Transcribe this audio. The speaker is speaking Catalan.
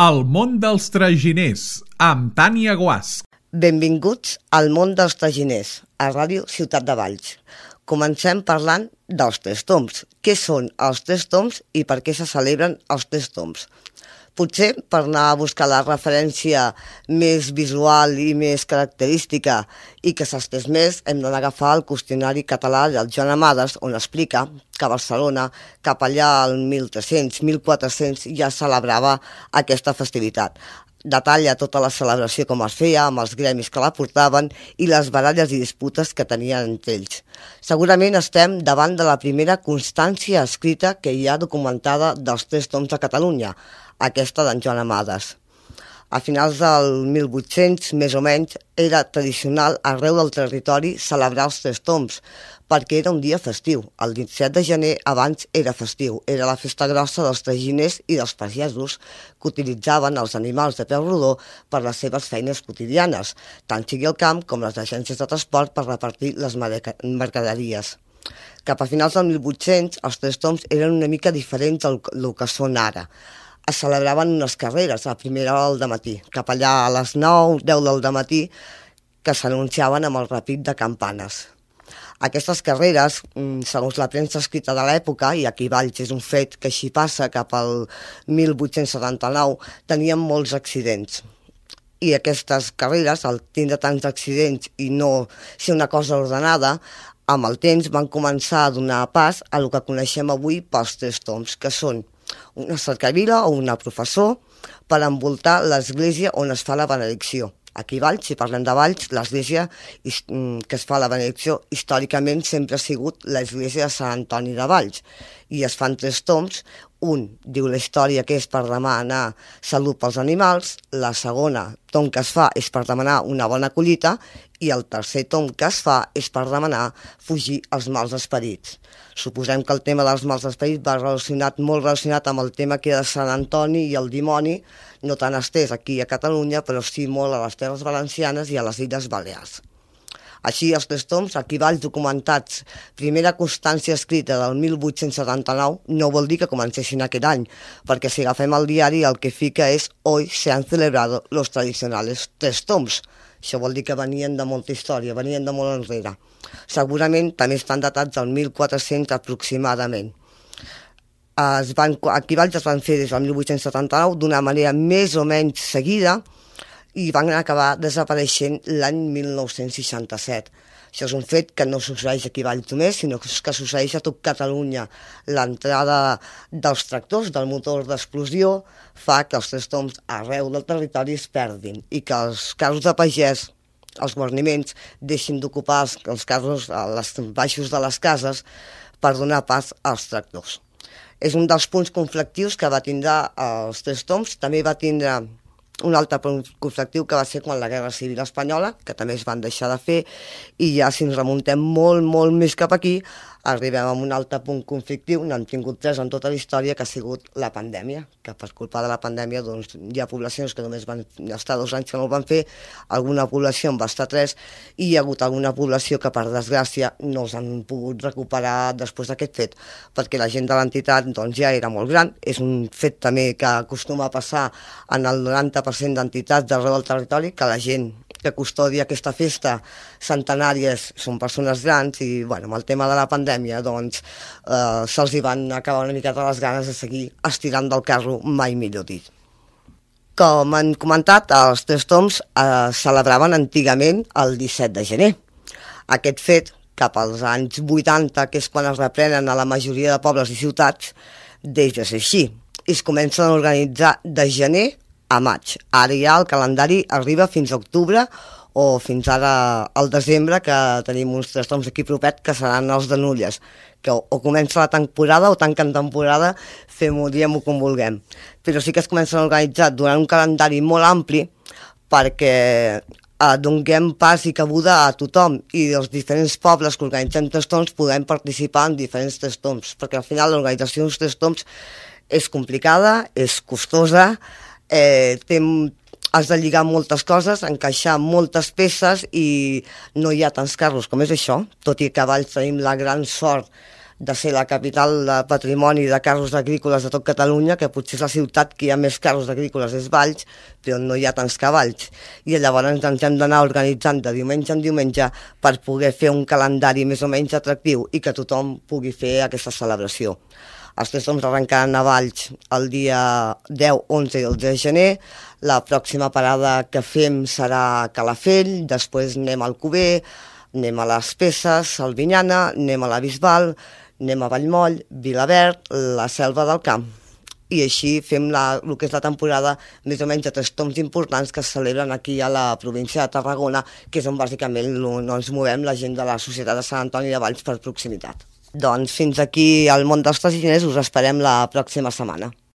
El món dels traginers, amb Tània Guasch. Benvinguts al món dels traginers, a Ràdio Ciutat de Valls. Comencem parlant dels Tres Tombs. Què són els Tres Tombs i per què se celebren els Tres Tombs? Potser per anar a buscar la referència més visual i més característica i que s'estès més, hem d'anar a agafar el qüestionari català del Joan Amades, on explica que a Barcelona, cap allà al 1300-1400, ja celebrava aquesta festivitat. Detalla tota la celebració com es feia, amb els gremis que la portaven i les baralles i disputes que tenien entre ells. Segurament estem davant de la primera constància escrita que hi ha documentada dels Tres Tombs a Catalunya, aquesta d'en Joan Amades. A finals del 1800, més o menys, era tradicional arreu del territori celebrar els Tres Tombs, perquè era un dia festiu. El 17 de gener abans era festiu, era la festa grossa dels traginers i dels pagesos que utilitzaven els animals de peu rodó per les seves feines quotidianes, tant sigui el camp com les agències de transport per repartir les mercaderies. Cap a finals del 1800, els Tres Tombs eren una mica diferents del que són ara. Es celebraven unes carreres a primera hora del matí, cap allà a les 9, 10 del matí, que s'anunciaven amb el repic de campanes. Aquestes carreres, segons la premsa escrita de l'època, i aquí Valls és un fet que així passa cap al 1879, tenien molts accidents. I aquestes carreres, al tindre tants accidents i no ser una cosa ordenada, amb el temps van començar a donar pas a el que coneixem avui pels Tres Tombs, que són una cercavila o una professor per envoltar l'església on es fa la benedicció. Aquí a Valls, si parlem de Valls, l'església que es fa la benedicció històricament sempre ha sigut l'església de Sant Antoni de Valls, i es fan tres tombs. Un diu la història que és per demanar salut pels animals, la segona tom que es fa és per demanar una bona collita i el tercer tom que es fa és per demanar fugir els mals esperits. Suposem que el tema dels mals esperits va molt relacionat amb el tema que era de Sant Antoni i el dimoni, no tan estès aquí a Catalunya, però sí molt a les Terres Valencianes i a les Illes Balears. Així, els Tres Tombs, aquí Valls documentats, primera constància escrita del 1879, no vol dir que comencessin aquest any, perquè si agafem el diari el que fica és «Hoy se han celebrado los tradicionales Tres Tombs». Això vol dir que venien de molta història, venien de molt enrere. Segurament també estan datats del 1400 aproximadament. Aquí Valls es van fer des del 1879 d'una manera més o menys seguida, i van acabar desapareixent l'any 1967. Això és un fet que no succeeix aquí a Valls només, sinó que succeeix a tot Catalunya. L'entrada dels tractors, del motor d'explosió, fa que els Tres Tombs arreu del territori es perdin i que els carros de pagès, els guarniments, deixin d'ocupar els carros als baixos de les cases per donar pas als tractors. És un dels punts conflictius que va tindre els Tres Tombs. També va tindre un altre punt conflictiu que va ser quan la Guerra Civil Espanyola, que també es van deixar de fer, i ja si ens remuntem molt més cap aquí, arribem a un altre punt conflictiu, n'hem tingut tres en tota la història, que ha sigut la pandèmia, que per culpa de la pandèmia doncs, hi ha poblacions que només van estar 2 anys que no ho van fer, alguna població en va estar 3, i hi ha hagut alguna població que per desgràcia no els han pogut recuperar després d'aquest fet, perquè la gent de l'entitat doncs, ja era molt gran. És un fet també que acostuma a passar en el 90% d'entitats d'arreu del territori, que la gent que custodia aquesta festa centenària són persones grans i amb el tema de la pandèmia doncs se'ls hi van acabar una miqueta les ganes de seguir estirant del carro, mai millor dit. Com han comentat, els Tres Tombs celebraven antigament el 17 de gener. Aquest fet, cap als anys 80, que és quan es reprenen a la majoria de pobles i ciutats, deixa de ser així. I es comencen a organitzar de gener a maig. Ara ja el calendari arriba fins a octubre o fins ara al desembre, que tenim uns Tres Tombs aquí propet que seran els de Nulles, que o comença la temporada o tanquen temporada, diem-ho com vulguem. Però sí que es comencen a organitzar durant un calendari molt ampli perquè donem pas i cabuda a tothom i dels diferents pobles que organitzem Tres Tombs podem participar en diferents Tres Tombs, perquè al final l'organització dels Tres Tombs és complicada, és costosa, has de lligar moltes coses, encaixar moltes peces i no hi ha tants carros com és això, tot i que a Valls tenim la gran sort de ser la capital de patrimoni de carros agrícoles de tot Catalunya, que potser és la ciutat que hi ha més carros agrícoles és Valls, però no hi ha tants cavalls. I llavors ens hem d'anar organitzant de diumenge en diumenge per poder fer un calendari més o menys atractiu i que tothom pugui fer aquesta celebració. Els Tres Tombs arrencaran a Valls el dia 10, 11 i el 10 de gener. La pròxima parada que fem serà a Calafell, després anem al Alcover, anem a les Peces, a Albinyana, anem a la Bisbal, anem a Vallmoll, Vilaverd, la Selva del Camp. I així fem el que és la temporada més o menys de Tres Tombs importants que es celebren aquí a la província de Tarragona, que és on bàsicament ens movem la gent de la Societat de Sant Antoni de Valls per proximitat. Doncs fins aquí al món dels traginers, us esperem la pròxima setmana.